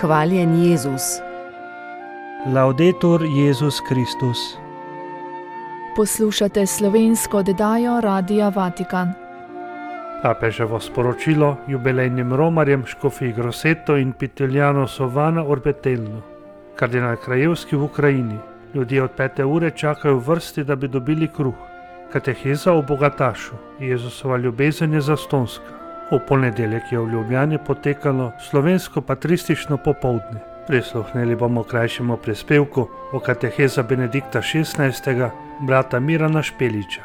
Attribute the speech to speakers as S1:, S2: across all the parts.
S1: Hvaljen Jezus.
S2: Laudetur Jezus Kristus.
S3: Poslušate slovensko oddajo Radia Vatikan.
S2: Papeževo sporočilo jubilejnim romarjem Škofji Grosseto in Pitigliano Sovana Orbetello. Kardinal Krajewski v Ukrajini. Ljudje od 5. ure čakajo v vrsti, da bi dobili kruh. Kateheza o bogatašu. Jezusova ljubezen je zastonska. V ponedeljek je v Ljubljani potekalo slovensko patristično popoldne. Prisluhnili bomo krajšemu prispevku o kateheza Benedikta XVI, brata Mirana Špeliča.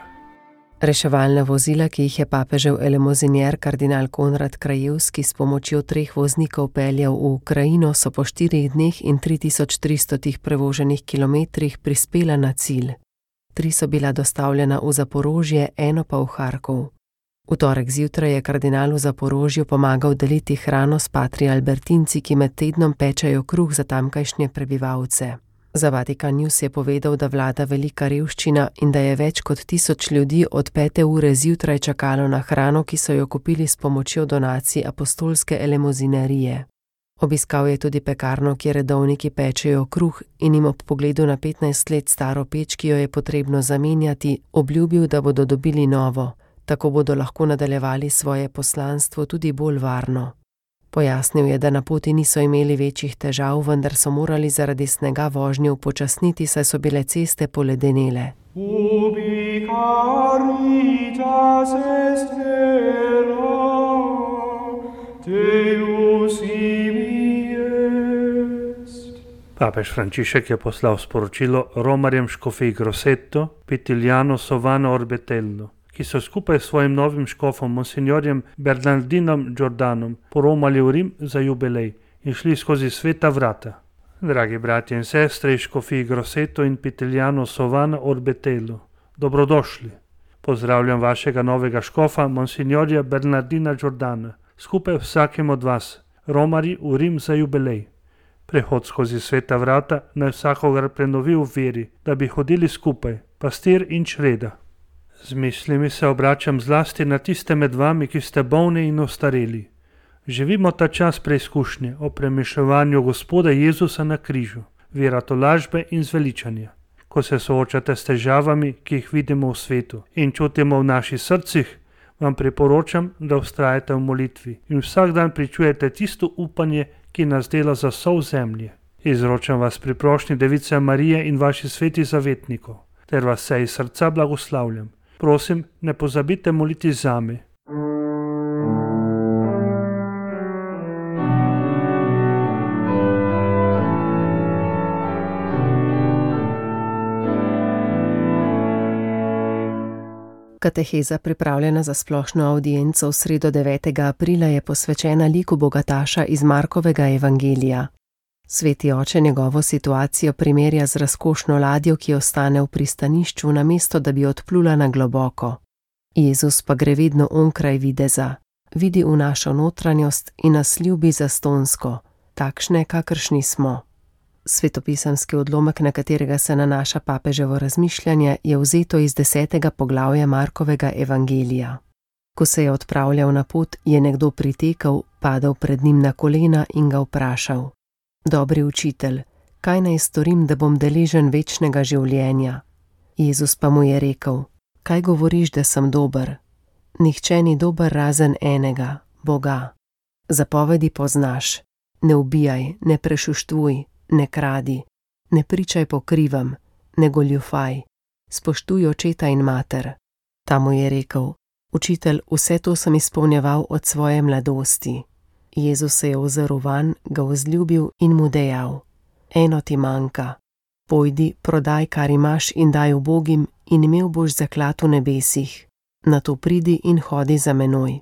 S1: Reševalna vozila, ki jih je papežev elemozinier kardinal Konrad Krajewski s pomočjo 3 voznikov peljal v Ukrajino, so po 4 dneh in 3300 prevoženih kilometrih prispela na cilj. 3 so bila dostavljena v Zaporožje, 1 pa v Harkov. V torek zjutraj je kardinal v Zaporožju pomagal deliti hrano s patri albertinci, ki med tednom pečejo kruh za tamkajšnje prebivalce. Za Vatikan News je povedal, da vlada velika revščina in da je več kot 1000 ljudi od 5. ure zjutraj čakalo na hrano, ki so jo kupili s pomočjo donacij apostolske elemozinerije. Obiskal je tudi pekarno, kjer redovniki pečejo kruh, in jim ob pogledu na 15 let staro peč, ki jo je potrebno zamenjati, obljubil, da bodo dobili novo. Tako bodo lahko nadaljevali svoje poslanstvo tudi bolj varno. Pojasnil je, da na poti niso imeli večjih težav, vendar so morali zaradi snega vožnjo upočasniti, saj so bile ceste poledenele.
S4: Ubi caritas est vera, Deus ibi est.
S2: Papež Frančišek je poslal sporočilo romarjem Škofji Grosseto, Pitigliano Sovana Orbetello, ki so skupaj s svojim novim škofom, monsignorjem Bernardinom Giordanom, poromali v Rim za jubilej in šli skozi sveta vrata. Dragi bratje in sestre iz Škofji Grosseto in Pitigliano Sovana Orbetello, dobrodošli. Pozdravljam vašega novega škofa, monsignorja Bernardina Giordana, skupaj vsakim od vas, romarji v Rim za jubilej. Prehod skozi sveta vrata naj vsakogar prenovi v veri, da bi hodili skupaj, pastir in čreda. Z mislimi se obračam zlasti na tiste med vami, ki ste bolni in ostareli. Živimo ta čas preizkušnje o premišljevanju Gospoda Jezusa na križu, veratolažbe in zveličanja. Ko se soočate s težavami, ki jih vidimo v svetu in čutimo v naših srcih, vam priporočam, da vztrajate v molitvi in vsak dan pričujete tisto upanje, ki nas dela za sol zemlje. Izročam vas pri prošnji Device Marije in vaših svetih zavetnikov, ter vas vse iz srca blagoslavljam. Prosim, ne pozabite moliti zame.
S1: Kateheza, pripravljena za splošno avdienco v sredo 9. aprila, je posvečena liku bogataša iz Markovega evangelija. Sveti oče njegovo situacijo primerja z razkošno ladjo, ki ostane v pristanišču, namesto da bi odplula na globoko. Jezus pa gre vedno onkraj videza, vidi v našo notranjost in nas ljubi zastonsko, takšne, kakršni smo. Svetopisemski odlomek, na katerega se nanaša papeževo razmišljanje, je vzeto iz 10. poglavja Markovega evangelija. Ko se je odpravljal na pot, je nekdo pritekel, padel pred njim na kolena in ga vprašal: Dobri učitelj, kaj naj storim, da bom deležen večnega življenja? Jezus pa mu je rekel: Kaj govoriš, da sem dober? Nihče ni dober razen enega, Boga. Zapovedi poznaš: ne ubijaj, ne prešuštvuj, ne kradi, ne pričaj po krivem, ne goljufaj, spoštuj očeta in mater. Ta mu je rekel: Učitelj, vse to sem izpolnjeval od svoje mladosti. Jezus se je ozrl vanj, ga vzljubil in mu dejal: Eno ti manjka. Pojdi, prodaj, kar imaš, in daj ubogim, in imel boš zaklad v nebesih. Nato pridi in hodi za menoj.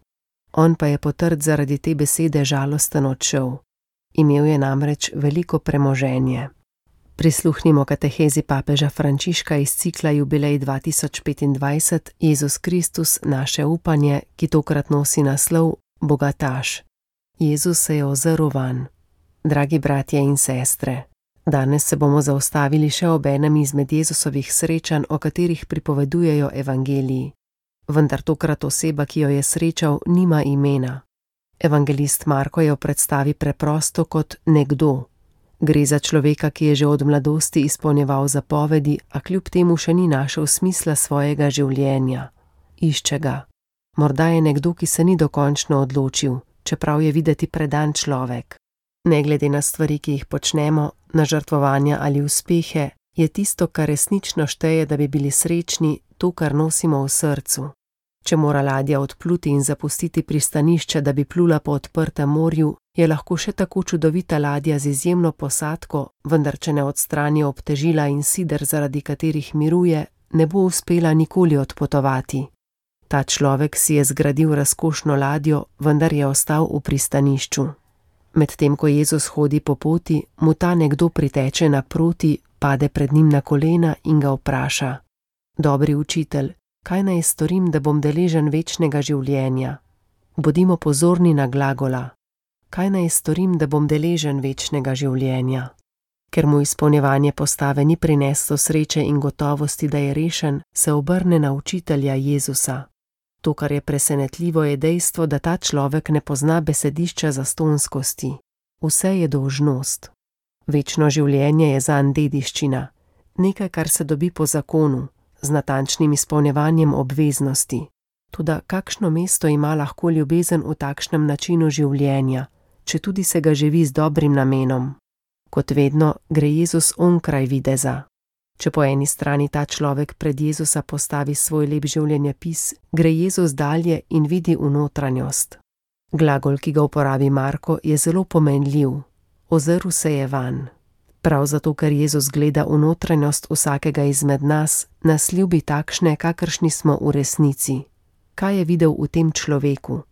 S1: On pa je potrt zaradi te besede žalosten odšel. Imel je namreč veliko premoženje. Prisluhnimo katehezi papeža Frančiška iz cikla Jubilej 2025 Jezus Kristus, naše upanje, ki tokrat nosi naslov Bogataš. Jezus se je ozrl vanj. Dragi bratje in sestre, danes se bomo zaustavili še ob enem izmed Jezusovih srečanj, o katerih pripovedujejo evangeliji. Vendar tokrat oseba, ki jo je srečal, nima imena. Evangelist Marko jo predstavi preprosto kot nekdo. Gre za človeka, ki je že od mladosti izpolnjeval zapovedi, a kljub temu še ni našel smisla svojega življenja. Išče ga. Morda je nekdo, ki se ni dokončno odločil, čeprav je videti predan človek. Ne glede na stvari, ki jih počnemo, na žrtvovanja ali uspehe, je tisto, kar resnično šteje, da bi bili srečni, to, kar nosimo v srcu. Če mora ladja odpluti in zapustiti pristanišče, da bi plula po odprtem morju, je lahko še tako čudovita ladja z izjemno posadko, vendar če ne odstrani obtežila in sider, zaradi katerih miruje, ne bo uspela nikoli odpotovati. Ta človek si je zgradil razkošno ladjo, vendar je ostal v pristanišču. Medtem ko Jezus hodi po poti, mu ta nekdo priteče naproti, pade pred njim na kolena in ga vpraša: Dobri učitelj, kaj naj storim, da bom deležen večnega življenja? Bodimo pozorni na glagola. Kaj naj storim, da bom deležen večnega življenja? Ker mu izpolnjevanje postave ni prineslo sreče in gotovosti, da je rešen, se obrne na učitelja Jezusa. To, kar je presenetljivo, je dejstvo, da ta človek ne pozna besedišča zastonskosti. Vse je dolžnost. Večno življenje je zanj dediščina, nekaj, kar se dobi po zakonu, z natančnim izpolnjevanjem obveznosti. Toda kakšno mesto ima lahko ljubezen v takšnem načinu življenja, če tudi se ga živi z dobrim namenom? Kot vedno gre Jezus onkraj videza. Če po eni strani ta človek pred Jezusa postavi svoj lep življenjepis, gre Jezus dalje in vidi v notranjost. Glagol, ki ga uporabi Marko, je zelo pomenljiv. Ozrl se je vanj. Prav zato, ker Jezus gleda v notranjost vsakega izmed nas, nas ljubi takšne, kakršni smo v resnici. Kaj je videl v tem človeku?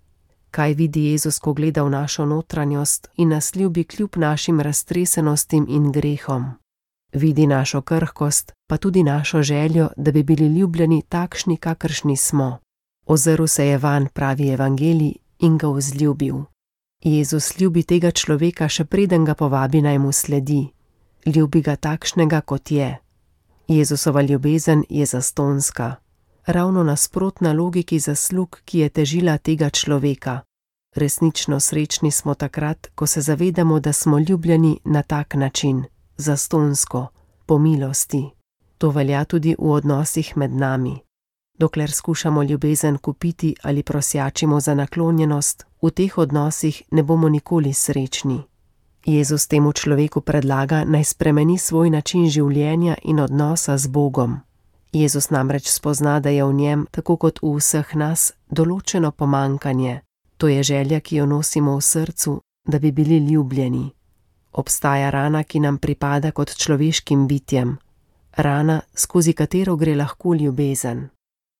S1: Kaj vidi Jezus, ko gleda v našo notranjost in nas ljubi kljub našim raztresenostim in grehom? Vidi našo krhkost, pa tudi našo željo, da bi bili ljubljeni takšni, kakršni smo. Ozrl se je vanj, pravi evangelij, in ga vzljubil. Jezus ljubi tega človeka, še preden ga povabi, naj mu sledi. Ljubi ga takšnega, kot je. Jezusova ljubezen je zastonska. Ravno nasprotna logiki zaslug, ki je težila tega človeka. Resnično srečni smo takrat, ko se zavedamo, da smo ljubljeni na tak način, zastonsko, po milosti. To velja tudi v odnosih med nami. Dokler skušamo ljubezen kupiti ali prosjačimo za naklonjenost, v teh odnosih ne bomo nikoli srečni. Jezus temu človeku predlaga, naj spremeni svoj način življenja in odnosa z Bogom. Jezus namreč spozna, da je v njem, tako kot v vseh nas, določeno pomankanje. To je želja, ki jo nosimo v srcu, da bi bili ljubljeni. Obstaja rana, ki nam pripada kot človeškim bitjem. Rana, skozi katero gre lahko ljubezen.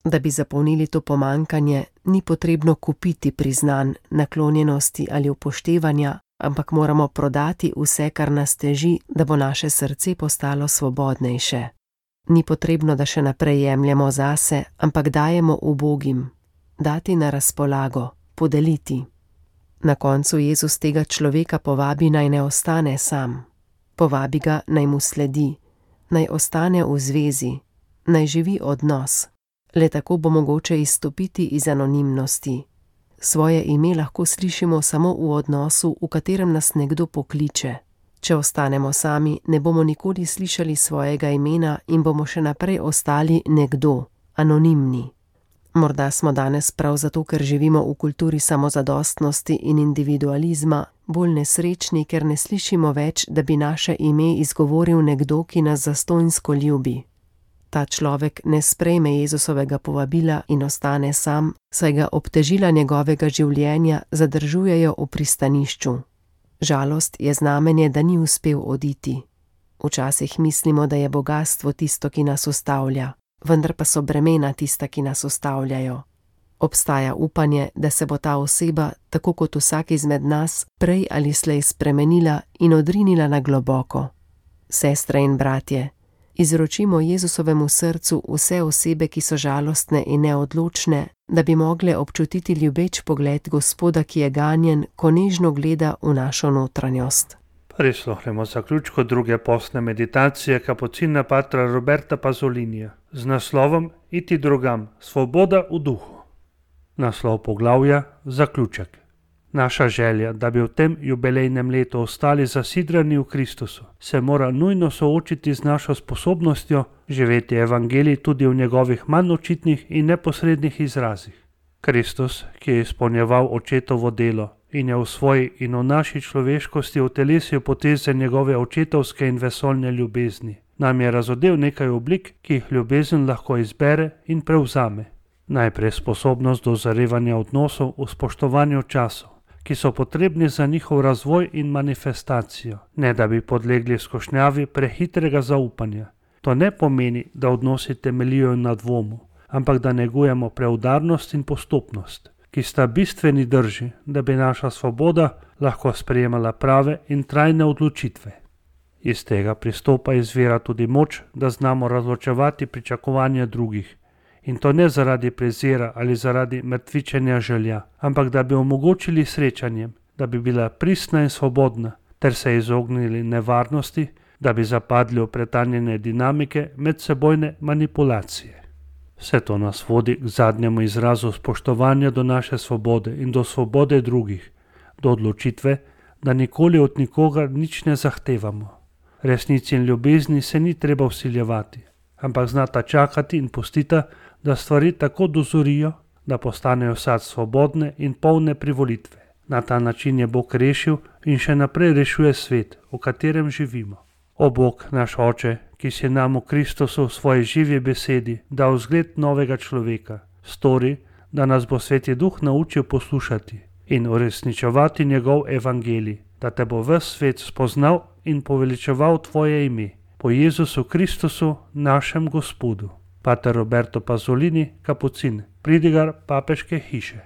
S1: Da bi zapolnili to pomankanje, ni potrebno kupiti priznanj, naklonjenosti ali upoštevanja, ampak moramo prodati vse, kar nas teži, da bo naše srce postalo svobodnejše. Ni potrebno, da še naprej jemljemo zase, ampak dajemo ubogim. Dati na razpolago, podeliti. Na koncu Jezus tega človeka povabi, naj ne ostane sam. Povabi ga, naj mu sledi, naj ostane v zvezi, naj živi odnos. Le tako bo mogoče izstopiti iz anonimnosti. Svoje ime lahko slišimo samo v odnosu, v katerem nas nekdo pokliče. Če ostanemo sami, ne bomo nikoli slišali svojega imena in bomo še naprej ostali nekdo, anonimni. Morda smo danes prav zato, ker živimo v kulturi samozadostnosti in individualizma, bolj nesrečni, ker ne slišimo več, da bi naše ime izgovoril nekdo, ki nas zastonjsko ljubi. Ta človek ne sprejme Jezusovega povabila in ostane sam, saj ga obtežila njegovega življenja zadržujejo v pristanišču. Žalost je znamenje, da ni uspel oditi. Včasih mislimo, da je bogastvo tisto, ki nas ustavlja, vendar pa so bremena tista, ki nas ustavljajo. Obstaja upanje, da se bo ta oseba, tako kot vsak izmed nas, prej ali slej spremenila in odrinila na globoko. Sestre in bratje, izročimo Jezusovemu srcu vse osebe, ki so žalostne in neodločne, da bi mogle občutiti ljubeč pogled Gospoda, ki je ganjen, ko nežno gleda v našo notranjost.
S2: Prisluhnemo zaključku druge postne meditacije kapucina patra Roberta Pazolinija z naslovom Iti drugam, svoboda v duhu. Naslov poglavja, zaključek. Naša želja, da bi v tem jubilejnem letu ostali zasidrani v Kristusu, se mora nujno soočiti z našo sposobnostjo živeti evangelij tudi v njegovih manj očitnih in neposrednih izrazih. Kristus, ki je izpolnjeval očetovo delo in je v svoji in v naši človeškosti utelesil poteze njegove očetovske in vesoljne ljubezni, nam je razodel nekaj oblik, ki jih ljubezen lahko izbere in prevzame. Najprej sposobnost dozorevanja odnosov v spoštovanju časov, ki so potrebni za njihov razvoj in manifestacijo, ne da bi podlegli skušnjavi prehitrega zaupanja. To ne pomeni, da odnosi temeljijo na dvomu, ampak da negujemo preudarnost in postopnost, ki sta bistveni drži, da bi naša svoboda lahko sprejemala prave in trajne odločitve. Iz tega pristopa izvira tudi moč, da znamo razločevati pričakovanja drugih, in to ne zaradi prezira ali zaradi mrtvičenja želja, ampak da bi omogočili srečanjem, da bi bila pristna in svobodna, ter se izognili nevarnosti, da bi zapadli v pretanjene dinamike medsebojne manipulacije. Vse to nas vodi k zadnjemu izrazu spoštovanja do naše svobode in do svobode drugih, do odločitve, da nikoli od nikogar nič ne zahtevamo. Resnici in ljubezni se ni treba vsiljevati, ampak znata čakati in pustita, da stvari tako dozorijo, da postanejo sad svobodne in polne privolitve. Na ta način je Bog rešil in še naprej rešuje svet, v katerem živimo. O Bog, naš Oče, ki si nam v Kristusu v svoji živi besedi dal zgled novega človeka, stori, da nas bo Sveti Duh naučil poslušati in uresničevati njegov evangelij, da te bo ves svet spoznal in poveličeval tvoje ime, po Jezusu Kristusu, našem Gospodu. Pater Roberto Pasolini, kapucin, pridigar papeške hiše.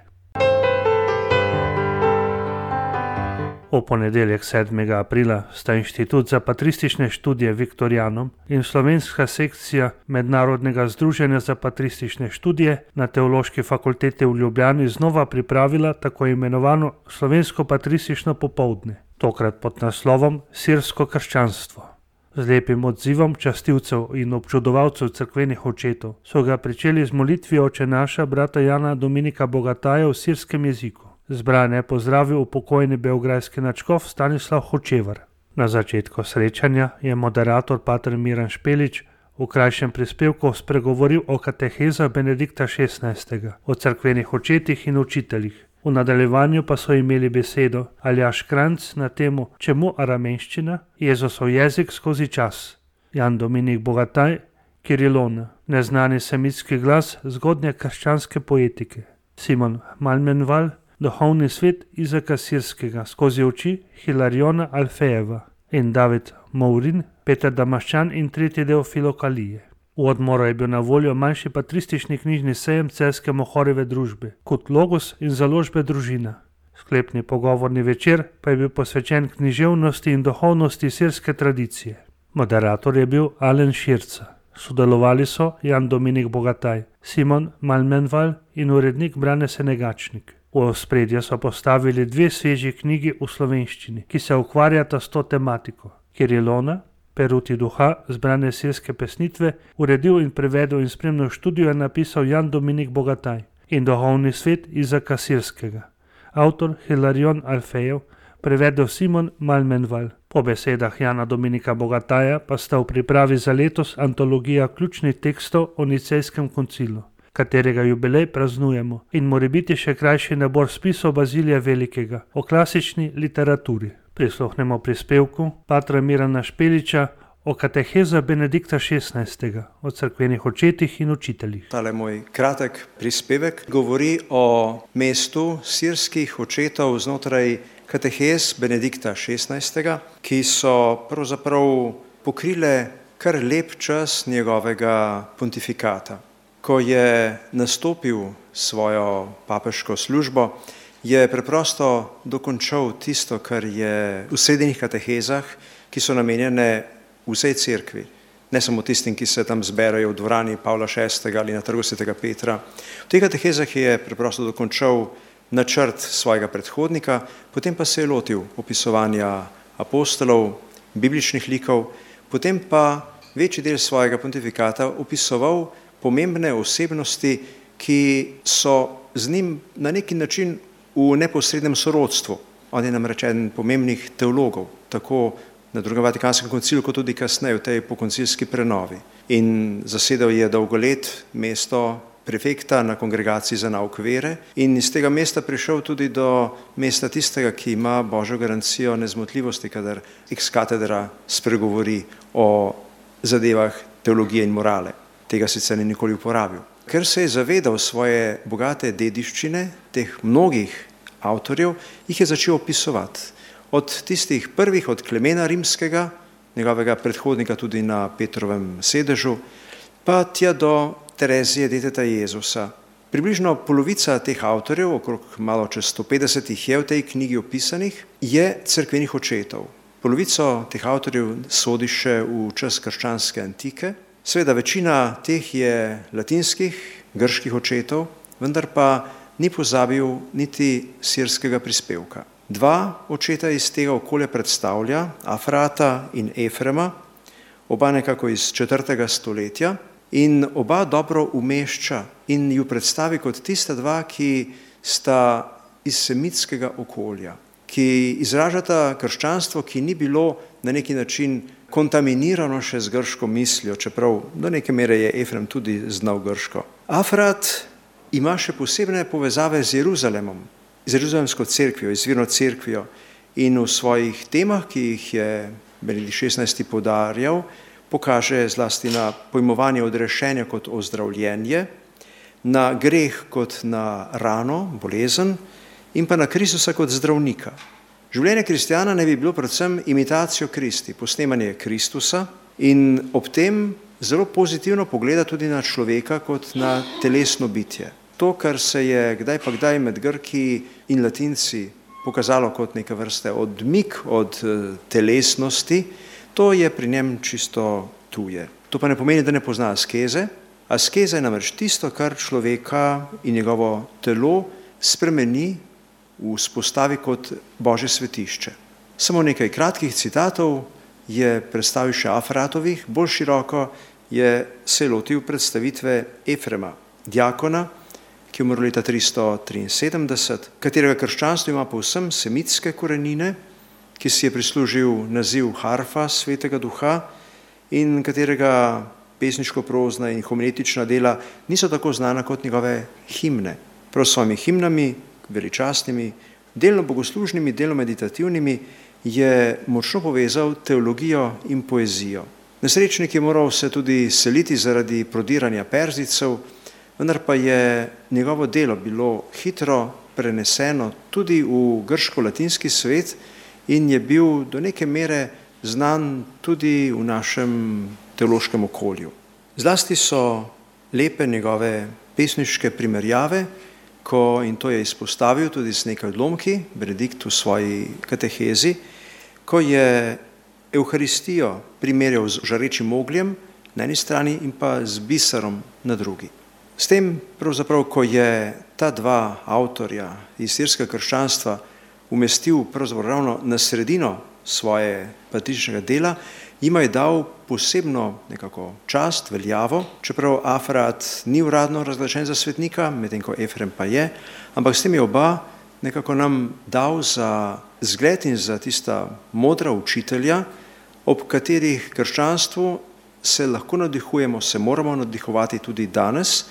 S2: V ponedeljek 7. aprila sta Inštitut za patristične študije Viktorijanom in slovenska sekcija Mednarodnega združenja za patristične študije na Teološki fakulteti v Ljubljani znova pripravila tako imenovano slovensko patristično popoldne, tokrat pod naslovom Sirsko krščanstvo. Z lepim odzivom častilcev in občudovalcev cerkvenih očetov so ga pričeli z molitvijo Oče naša brata Jana Dominika Bogataja v sirskem jeziku. Zbrane je pozdravil upokojeni beograjski nadškof Stanislav Hočevar. Na začetku srečanja je moderator pater Miran Špelič v krajšem prispevku spregovoril o katehezah Benedikta XVI, o cerkvenih očetih in učiteljih. V nadaljevanju pa so imeli besedo Aljaž Kranjc na temo Čemu aramenščina? Jezusov jezik skozi čas, Jan Dominik Bogataj, Kirilona, neznani semitski glas zgodnje krščanske poetike, Simon Malmenval, duhovni svet Izaka Sirskega skozi oči Hilariona Alfejeva in David Mourin, Peter Damaščan in tretji del Filokalije. V odmoru je bil na voljo manjši patristični knjižni sejem Celjske Mohorjeve družbe, kot Logos in založbe Družina. Sklepni pogovorni večer pa je bil posvečen književnosti in duhovnosti sirske tradicije. Moderator je bil Alen Širca. Sodelovali so Jan Dominik Bogataj, Simon Malmenval in urednik Brane Senegačnik. V ospredje so postavili dve sveži knjigi v slovenščini, ki se ukvarjata s to tematiko. Kirilona, Peruti duha, zbrane sirske pesnitve, uredil in prevedel in spremno študijo je napisal Jan Dominik Bogataj in duhovni svet Izaka Sirskega. Avtor Hilarion Alfejev, prevedel Simon Malmenval. Po besedah Jana Dominika Bogataja pa sta v pripravi za letos antologija ključnih tekstov o Nicejskem koncilu, katerega jubilej praznujemo, in morebiti še krajši nabor spisov Bazilija Velikega o klasični literaturi. Prisluhnemo prispevku patra Mirana Špeliča o kateheza Benedikta XVI, o cerkvenih očetih in učiteljih.
S5: Tale moj kratek prispevek govori o mestu sirskih očetov znotraj katehez Benedikta XVI, ki so pravzaprav pokrile kar lep čas njegovega pontifikata. Ko je nastopil svojo papeško službo, je preprosto dokončal tisto, kar je v srednjih katehezah, ki so namenjene vsej cerkvi, ne samo tistim, ki se tam zberajo v dvorani Pavla VI ali na trgu Svetega Petra. V teh katehezah je preprosto dokončal načrt svojega predhodnika, potem pa se je lotil opisovanja apostolov, bibličnih likov, potem pa večji del svojega pontifikata opisoval pomembne osebnosti, ki so z njim na neki način v neposrednem sorodstvu. On je namreč eden pomembnih teologov, tako na Drugem Vatikanskem koncilu, kot tudi kasneje v tej pokoncilski prenovi. In zasedal je dolgo let mesto prefekta na Kongregaciji za nauk vere in iz tega mesta prišel tudi do mesta tistega, ki ima Božjo garancijo nezmotljivosti, kadar ex cathedra spregovori o zadevah teologije in morale. Tega sicer ni nikoli uporabil. Ker se je zavedal svoje bogate dediščine, teh mnogih avtorjev, jih je začel opisovati. Od tistih prvih, od Klemena Rimskega, njegovega predhodnika tudi na Petrovem sedežu, pa tja do Terezije, deteta Jezusa. Približno polovica teh avtorjev, okrog malo čez 150 jih je v tej knjigi opisanih, je cerkvenih očetov. Polovico teh avtorjev sodi še v čas krščanske antike. Seveda večina teh je latinskih, grških očetov, vendar pa ni pozabil niti sirskega prispevka. Dva očeta iz tega okolja predstavlja, Afrata in Efrema, oba nekako iz 4. stoletja in oba dobro umešča in ju predstavi kot tista dva, ki sta iz semitskega okolja, ki izražata krščanstvo, ki ni bilo na neki način kontaminirano še z grško mislijo, čeprav do neke mere je Efrem tudi znal grško. Afrat ima še posebne povezave z Jeruzalemom, z Jeruzalemsko cerkvijo, izvirno cerkvijo in v svojih temah, ki jih je Benedikt XVI. Poudarjal, pokaže zlasti na pojmovanje odrešenja kot ozdravljenje, na greh kot na rano, bolezen in pa na Kristusa kot zdravnika. Življenje kristjana ne bi bilo predvsem imitacijo Kristi, posnemanje Kristusa in ob tem zelo pozitivno pogleda tudi na človeka kot na telesno bitje. To, kar se je kdaj pa kdaj med Grki in Latinci pokazalo kot neka vrste odmik od telesnosti, to je pri njem čisto tuje. To pa ne pomeni, da ne pozna askeze. Askeza je namreč tisto, kar človeka in njegovo telo spremeni, vzpostavi kot Božje svetišče. Samo nekaj kratkih citatov je predstavil še Afratovih, bolj široko je se lotil predstavitve Efrema, diakona, ki je umrl leta 373, katerega krščanstvo ima povsem semitske korenine, ki si je prislužil naziv harfa svetega duha in katerega pesniško-prozna in homiletična dela niso tako znana kot njegove himne. Prav s svojimi himnami, veličastnimi, delno bogoslužnimi, delno meditativnimi, je močno povezal teologijo in poezijo. Nesrečnik je moral se tudi seliti zaradi prodiranja Perzijcev, vendar pa je njegovo delo bilo hitro preneseno tudi v grško-latinski svet in je bil do neke mere znan tudi v našem teološkem okolju. Zlasti so lepe njegove pesniške primerjave, in to je izpostavil tudi z nekaj odlomki, Benedikt v svoji katehezi, ko je Evharistijo primerjal z žarečim ogljem na eni strani in pa z biserom na drugi. S tem, pravzaprav, ko je ta dva avtorja iz sirskega krščanstva umestil pravzaprav ravno na sredino svoje patričnega dela, jima je dal posebno nekako čast, veljavo, čeprav Afrat ni uradno razglašen za svetnika, medtem ko Efrem pa je, ampak s tem je oba nekako nam dal za zgled in za tista modra učitelja, ob katerih krščanstvu se lahko navdihujemo, se moramo navdihovati tudi danes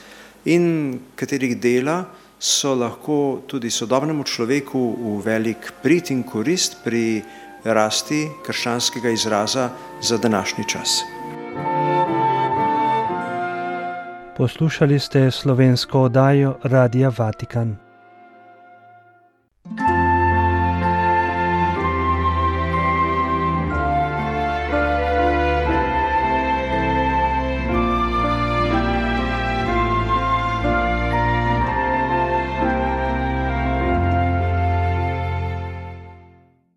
S5: in katerih dela so lahko tudi sodobnemu človeku v velik prid in korist pri rasti krščanskega izraza za današnji čas.
S2: Poslušali ste slovensko oddajo Radia Vatikan.